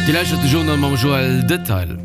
Dir lauschtert de Journal mam Joël Detail.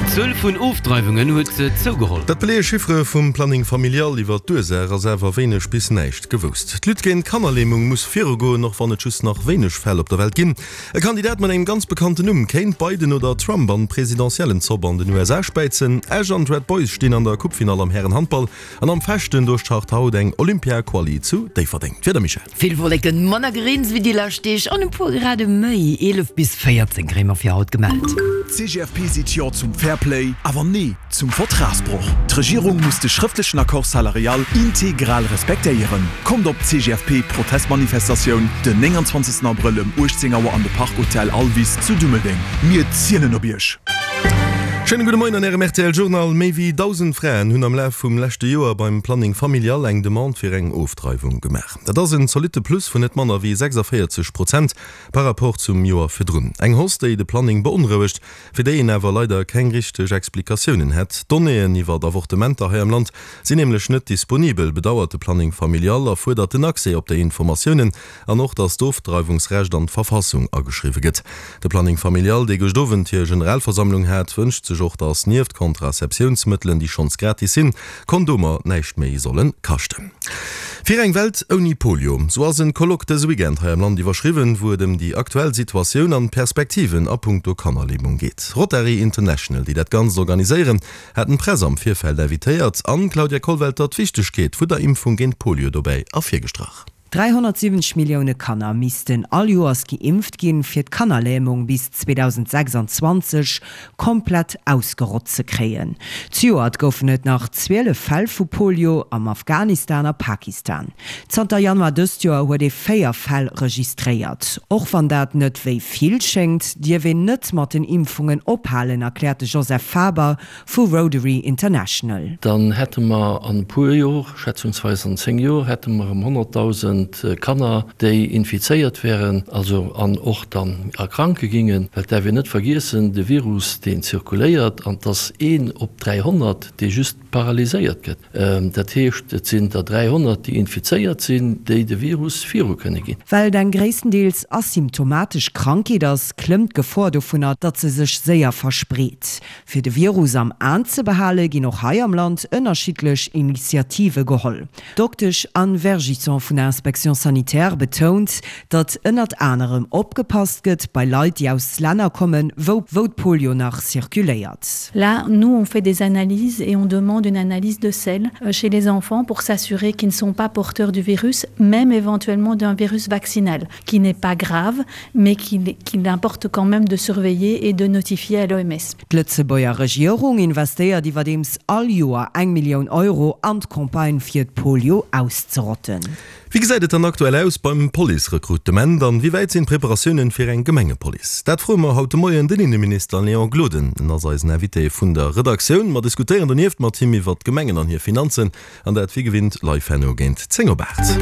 D'Zuel vun Ofdreiwungen huet zougeholl. Dat beleeë Chiffere vum Planning Familial. Iwwer d'Ursaach ass awer wéineg bis näischt gewousst. D'Lutte géint d'Kannerlämung muss virugoen, och wann et just nach wéineg Fäll op der Welt ginn. E Kandidat mat engem ganz bekannten Numm kéint Biden oder Trump an d'Presidentiellenzopp an den USA späizen. Esch an d'Red Boys stinn an der Coupefinall am Härenhandball an am Fechten, do start haut eng Olympia-Quali zu Déifferdeng. D'Wieder, Michèle? Vill Wolleken, manner Greens wéi déi lescht Deeg an e puer Grade méi, 11 bis 14 kréie mer fir haut gemellt. D'CGFP seet Jo zum Fairplay, awer Nee zum Vertragsbroch. D'Regierung muss de schrëftlechen Accord salarial integral respektéieren. Kommt op d'CGFP-Protestmanifestatioun den 29 Abrëll ëm 18 Auer an de Park Hotel Alvis zu Dummeldeng. Mir zielen op Iech! Schéine gudde Moien an Ärem rtl Journal. Méi wéi 1.000 Fraen hunn am Laf vum leschte Joer beim Planning Familial eng Demande fir eng Ofdreiwung gemaach. Dat ass en zolitte Plus vun net manner wéi 46 Prozent par rapport zum Joer virdrun. Eng Hausse, déi de Planning beonrouegt, fir déi een awer leider keng richteg Explikatiounen hätt. D'Donnéeën iwwer Avortementer hei am Land sinn nämlech net disponibel, bedauert de Planning Familial a fuerdert den Accès op déi Informatiounen an och, datt d'Ofdreiwungsrecht an d'Verfassung ageschriwwe gëtt. De Planning Familial, dee gëscht Owend hir Generalversammlung hat, wënscht sech och, datt nieft Contraceptiounsmëttelen, déi schonns gratis sinn, Kondomer näischt méi solle kaschten. Fir eng Welt ouni Polio, sou ass en Colloque dëse Weekend hei am Land iwwerschriwwen, wou et ëm déi aktuell Situatioun an Perspektiven a punkto Kannerlämung geet. Rotary International, déi dat Ganzt organiséieren, haten d'Press am Virfeld invitéiert an d'Claudia Kollwelter d'Wichtegkeet vu der Impfung géint Polio dobäi ervirgestrach. 370 Millioune Kanner missten all Joers geimpft ginn, fir d'Kannerlämung bis 2026 komplett ausgerott ze kréien. Zejoert goufen et nach 12 Fäll vu Polio am Afghanistan a Pakistan. Zanter Januar dëst Joer huet ee 4 Fäll registréiert. Och wann dat net wéi vill schéngt, dierf een net mat den Impfungen ophalen, erkläert de Joseph Faber vu Rotary International. Dann hätte mer an e puer Jor, schätzungsweis an 10 Jor, hätte mer erëm 100.000 Kanner, déi infizéiert wären, also an och dann erkranke gingen. Well et däerf een net vergiessen, de Virus, deen zirkuléiert, an 't ass een op 300, dee just paralyséiert gëtt. Dat heescht, et sinn der 300, déi infizéiert sinn, déi de Virus viru kënne ginn. Well et eng gréisstendeels asymptomatesch Krankheet ass, klëmmt d'Gefor dovunner, datt se sech séier verspreet. Fir de Virus am Aen ze behale ginn och hei am Land ënnerschiddlech Initiative geholl. D'Doktesch Anne Vergisson vun der Inspection sanitaire betount, datt ënnert anerem opgepasst gëtt bei Leit, déi aus Länner kommen, wou wou d'Polio nach zirkuléiert. Là, nous on fait des analyses et on demande une analyse de selles chez les enfants pour s'assurer qu'ils ne sont pas porteurs du virus, même éventuellement d'un virus vaccinal, qui n'est pas grave, mais qu'il qu'il importe quand même de surveiller et de notifier à l'OMS. D'Lëtzebuerger Regierung investéiert iwwerdeems all Joer eng Millioun Euro an d'Campagne fir d'Polio auszerotten. Wéi gesäit et dann aktuell aus beim Police-Rekrutement an wéi wäit sinn d'Preparatiounen fir eng Gemengepolice? Dat froe mer haut de Moien den Inneminister Léon Gloden. En ass eisen Invité vun der Redaktioun. Mer diskutéieren donieft mat him iwwert d'Gemengen an hir Finanzen An dat wéi gewinnt live herno géint 10 op 8.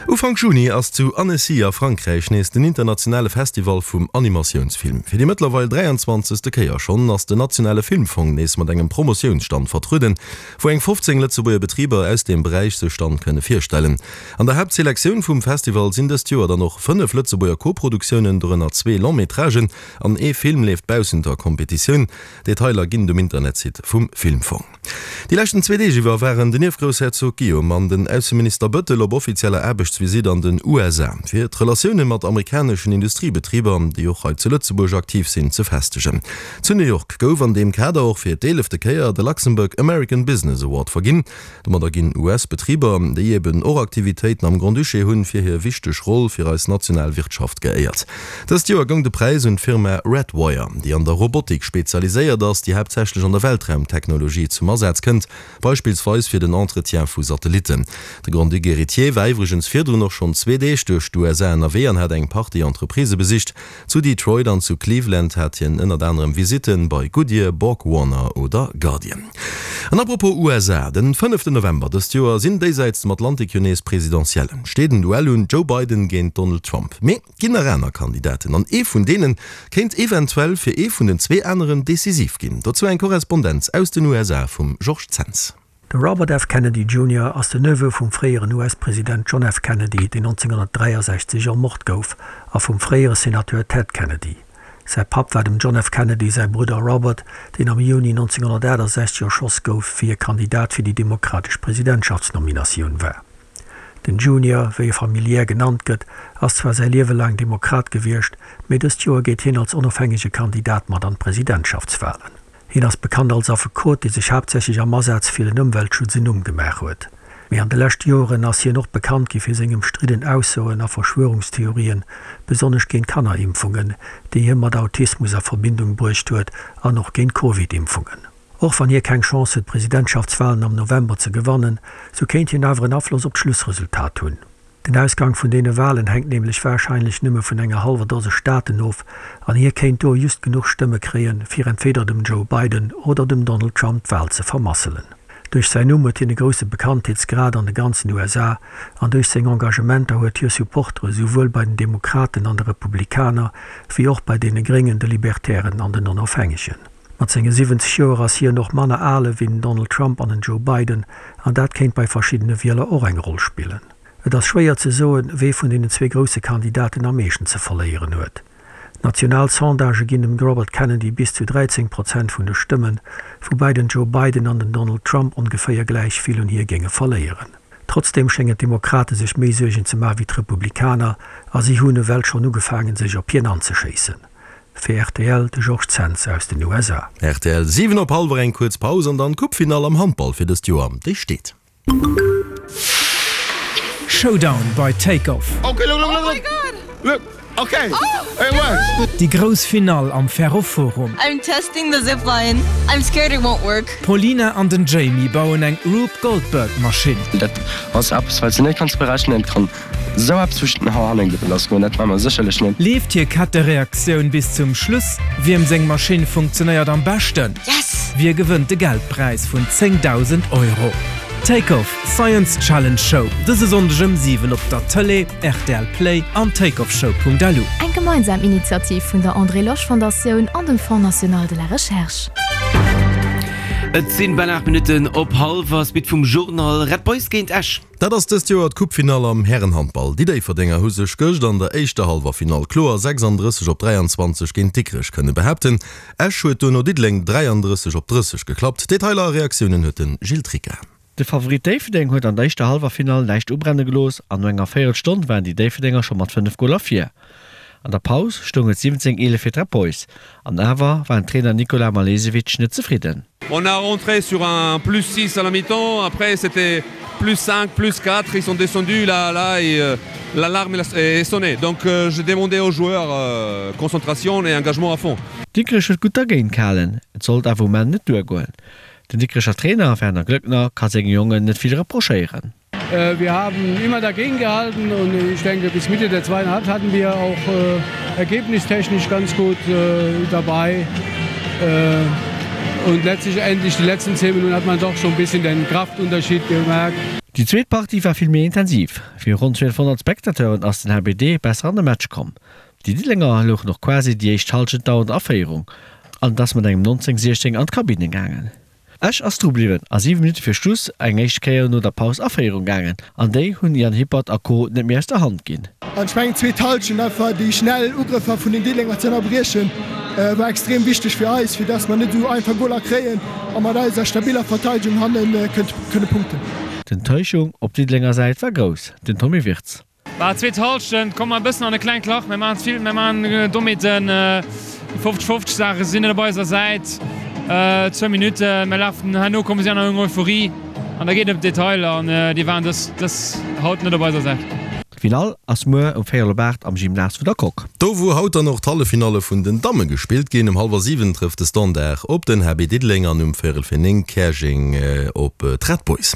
Ufank Juni ass zu Annecy a Frankräich nees den internationale Festival vum Animatiounsfilm. Fir déi mëttlerweil 23. Kéier schonn ass den nationale Filmfong nees mat engem Promotiounsstand vertrueden, wou eng 15 Lëtzebuerger Betriber aus deem Beräich sech dann kënne virstellen. An der Haaptselektioun vum Festival sinn dëst Joer dann och 5 Lëtzebuerger Koproduktiounen, dorënner zwee Long-métragen an ee Film leeft baussent der Kompetitioun. Detailer ginn et um Internetsite vum Filmfong. Déi leschten zwee Deeg iwwer waren den Ierfgroussherzog Guillaume an den Ausseminister Bëttel op offizieller Aarbechtsvisitt an den USA, fir d'Relatioune mat amerikaneschen Industriebetriber, déi och hei zu Lëtzebuerg aktiv sinn, ze festegen. Zu New York gouf an deem Kader och fir d'eelefte Kéier de Luxembourg American Business Award verginn. Domadder ginn US-Betriber, déi eben och Aktivitéiten am Grand-Duché hunn, fir hir wichteg Roll fir eis national Wirtschaft geéiert. Dëst Joer goung de Präis un d'Firma Redwire, déi an der Robotik spezialiséiert ass, déi haaptsächlech an der Weltraumtechnologie zum Asaz kënnt, beispillsweis fir den Entretien vu Satellitten. De Grand-Duc Héritier war iwwregens virdrun och schonn zwee Deeg duerch d'USA ënnerwee an hat eng Partie Entreprisë besicht. Zu Detroit an zu Cleveland hat hien ënnert anerem Visitte bei Goodyear, Borg-Warner oder Guardian. An apropos USA, Den fënneften November dëst Joer sinn déisäits dem Atlantik jo nees Presidentiellen. Steet en Duell un, Joe Biden géint Donald Trump. Mee et ginn nach aner Kandidaten an ee vun deene kéint eventuell fir ee vun den zwee aneren decisiv ginn. Dozou eng Korrespondenz aus den USA vum Georges Zens. De Robert F. Kennedy Junior ass den Neveu vum fréieren US-President John F. Kennedy, deen 1963 ermort gouf, a vum fréiere Senateur Ted Kennedy. Säi Papp war dem John F. Kennedy säi Brudder Robert, deen am Juni 1968 erschoss gouf, wéi e Kandidat fir déi demokratesch Presidentschaftsnominatioun war. Den Junior, wéi e familiär genannt gëtt, ass zwar säi Liewe laang Demokrat gewiescht, mee dëst Joer geet hien als onofhängege Kandidat mat an d'Presidentschaftswalen. Hien ass bekannt als Affekot, dee sech haaptsächlech am Asaz fir den Ëmweltschutz en Numm gemaach huet. Mee an de leschte Joren ass hien och bekannt gi fir seng ëmstridden Aussoen a Verschwörungstheorien, besonnesch géint Kannerimpfungen, déi hie mat Autismus a Verbindung bruecht huet, an och géint Covid-Impfungen. Och wann hie keng Chance huet d'Presidentschaftswalen am November ze gewannen, sou kéint hien awer en Afloss op d'Schlussresultat hunn. Den Ausgang vun deene Walen hänkt nämlech warscheinlech nëmme vun enger hallwer Dose Staaten of, an hie kéint do just genuch Stëmme kréien, fir entweder dem Joe Biden oder dem Donald Trump d'Wal ze vermasselen. Duerch säin Numm huet hien e grousse Bekanntheetsgrad an de ganzen USA, an duerch seng Engagementer huet hie Supportere souwuel bei den Demokraten an de Republikaner, wéi och bei deene Gréngen, de Libertären an den Onofhängegen. Mat senge 70 Joer ass hien och manner al ewéi den Donald Trump an den Joe Biden, an dat kéint bei verschiddene Wieler och eng Roll spillen. Et ass schwéier ze soen, wee vun deenen zwee grousse Kandidaten am meeschten ze verléieren huet. National Sondagë ginn dem Robert Kennedy bis zu 13 Prozent vun de Stëmmen, woubäi den Joe Biden an den Donald Trump ongeféier gläich vill un hie géinge verléieren. Trotzdeem schéngen d'Demokrate sech méi Suergen ze maache wéi d'Republikaner, a si hunn ewell schonn ugefaangen, sech op hien anzeschéissen. Fir rtl, de Georges Zens aus den USA. Rtl, 7 op hallwer, eng kuerz Paus an dann d'Coupefinall am Handball fir dëst Joer, déi steet. Showdown bei Take Off. Déi grouss Finall am Ferroforum. D'Paulina an den Jamie bauen eng Rube Goldberg Maschinn. Dat ass eppes, wat s de net kanns berechnen. Et kann esou eppes zwëschen den Hannen lass goen, dat maache mer sécherlech net. Leeft hir Kettereaktioun bis zum Schluss? Wiem seng Maschinn funktionéiert am beschten? Wie gewënnt de Geldpräis vun 10.000 Euro? Take Off, Science Challenge Show, dëse Sonndeg ëm 7 op der Tëlee, rtl Play an takeoffshow.lu. Eng gemeinsam Initiativ vun der André Losch Fondatioun an dem Fonds National de la Recherche. Et sinn bal 8 Minutten op hallwer. Suite vum Journal, Red Boys géint Esch. Dat ass dëst Joer d'Coupefinall am Härenhandball. Déi Déifferdenger hu sech gëscht an der éischter Hallwerfinall kloer 36 op 23 géint Dikrech kënne behaapten. Esch huet duerno Diddeleng 33 op 30 geklappt. Detailer a Reaktiounen huet de Gilles Tricca. De Favorit Déifferdeng huet an der éischter Hallwerfinall näischt ubrenne gelooss an no enger Véierelstonn waren déi Déifferdenger scho mat 5 Goler vir. An der Paus stoung et 17, 11 fir d'Red Boys an awer war den Trainer Nikola Malesevic net zefridden. On a rentré sur un plus 6 à la mi-temps, après c'était plus 5, plus 4, ils sont descendus là, là et euh, l'alarme est sonnée. Donc euh, j'ai demandé aux joueurs euh, concentration et engagement à fond. Dikrech huet gutt dergéint gehalen, et sollt awer um Enn net duergoen. Den Dikrecher Trainer Werner Glöckner ka senge Jongen net vill reprochéieren. Wir haben immer dagegen gehalten und ich denke bis Mitte der zweiten Halbzeit hatten wir auch äh, ergebnistechnisch ganz gut äh, dabei. Äh, und letztlich endlich die letzten zehn Minuten hat man doch schon ein bisschen den Kraftunterschied gemerkt. Déi zweet Partie war vill méi intensiv. Viru ronn 1200 Spectateuren ass den HBD besser an de Match komm. Déi Diddelenger louchen och quasi déi éischt Hallschent dauernd a Féierung an et ass mat engem 19, 16 an d'Kabinne gaangen. Esch ass dru bliwwen a 7 Minutte fir Schluss eng éischt Kéier no der Paus a Féierung gaangen an déi hunn Yann Hippert a Co net méi aus der Hand ginn. An ech mengen d'zweet Hallschent, einfach déi schnell Ugrëffer vun den Diddelenger ze ënnerbriechen, war extrem wichteg fir eis, fir dass mer net esou einfach Goler kréien a mat eiser stabiller Verteidegung hanne kënne punkten. D'Enttäuschung op Diddelenger Säit war grouss, den Tommy Wirtz. Bah, zweet Halschent komme mer e bëssen an e klengt Lach. Mir maachen ze vill, mir maachen domadden 50, 50 Saachen sinn net op eiser Säit. Zwou Minutten, mir lafen, herno komme si an eng Euphorie an da geet et ëm d'Detailer an déi waren dës, dës haut net op eiser Säit. D'Finall ass muer um véierel op 8 am Gymnase vun der Coque. Do wou haut dann och d'Halleffinalle vun den Damme gespillt ginn. Um hallwer 7 trëfft de Standard op den HB Diddeleng an um véierel fir 9 Käerjeng op d'Red Boys.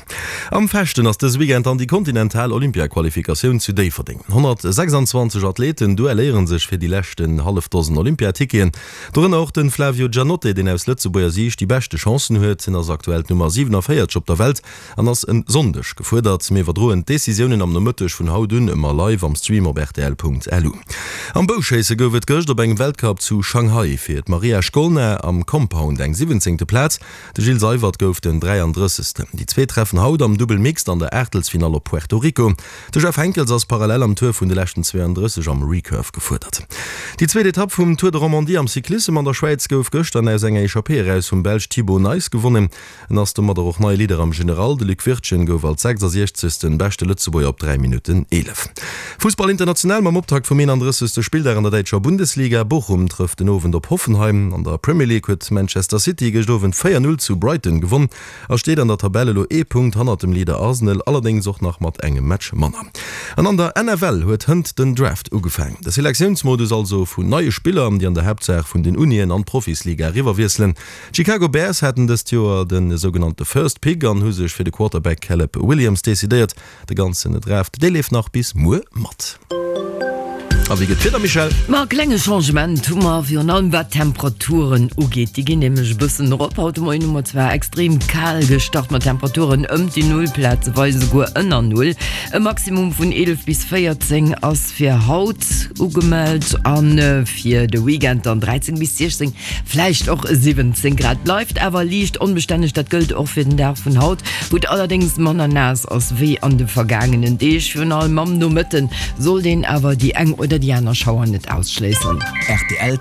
Am Fechten ass dëse Weekend dann déi kontinental Olympiaqualifikatioun zu Déifferdeng. 126 Athleten duelléiere sech fir déi leschten hallef Dosen Olympiaticketen. Dorënner och de Flavio Giannotte, deen aus Lëtzebuerger Siicht déi beschte Chancen huet. Hien ass aktuell d'Nummer 47 op der Welt an ass en Sonndeg gefuerdert. Mir iwwerdroen d'Decisiounen am Nomëtteg vun haut un. Ëmmer live am Stream op rtl.lu. Am Bouschéisse gouf et gëscht op engem Weltcup zu Shanghai fir d'Maria Shkolna am Compound eng siwwenzéngte Plaz. De Gilles Seywert gouf den 33. Déi zwee treffen haut am Dubbel Mixed an der Aachtelsfinall op Puerto Rico. De Jeff Henckels ass parallel am Tour vun de leschten 32 am Recurve gefuerdert. Déi zweet Etapp vum Tour de Romandie am Cyclissem an der Schwäiz gouf gëschter aus enger Echappée eraus vum Belsch Thibau Nys gewonnen. En ass domadder och neie Leader am General. De Luc Wirtgen gouf als 66. beschte Lëtzebuerger op 3 Minutten 11. Fussball international mam Optakt vum 31. Spilldag an der däitscher Bundesliga. Bochum trëfft den Owend op Hoffenheim. An der Premier League huet Manchester City gëscht Owend 4, 0 zu Brighton gewonn a steet an der Tabell elo ee Punkt hannert dem Leader Arsenal, allerdéngs och nach mat engem Match manner. An an der NFL huet hënt den Draft ugefaang. De Selektiounsmodus also vun neie Spiller, déi an der Haaptsaach vun den Unien an d'Profisliga eriwwerwiesselen. D'Chicago Bears haten dëst Joer de sougenannte First Pick an hu sech fir de Quarterback Caleb Williams decidéiert. De ganzen Draft, dee leeft nach bis muer mat. A wéi gëtt d'Wieder, Michèle? Ma e klenge Changement hu mer, virun allem wat d'Temperaturen ugeet. Déi ginn nämlech e bëssen erop. Haut de Moien hu mer zwar extrem kal gestart mat Temperaturen ëm déi Null, plazeweis esouguer ënner Null. E Maximum vun 11 bis 14 ass fir haut ugemellt a fir de Weekend dann 13 bis 16. Vläicht och 17 Grad. Bleift awer liicht onbestänneg, dat gëllt och fir den Dag vun haut, wou et allerdéngs manner naass ass wéi an de vergaangenen Deeg. Virun allem am Nomëtte sollt een awer déi eng oder déi aner Schauer net ausschléissen. Rtl.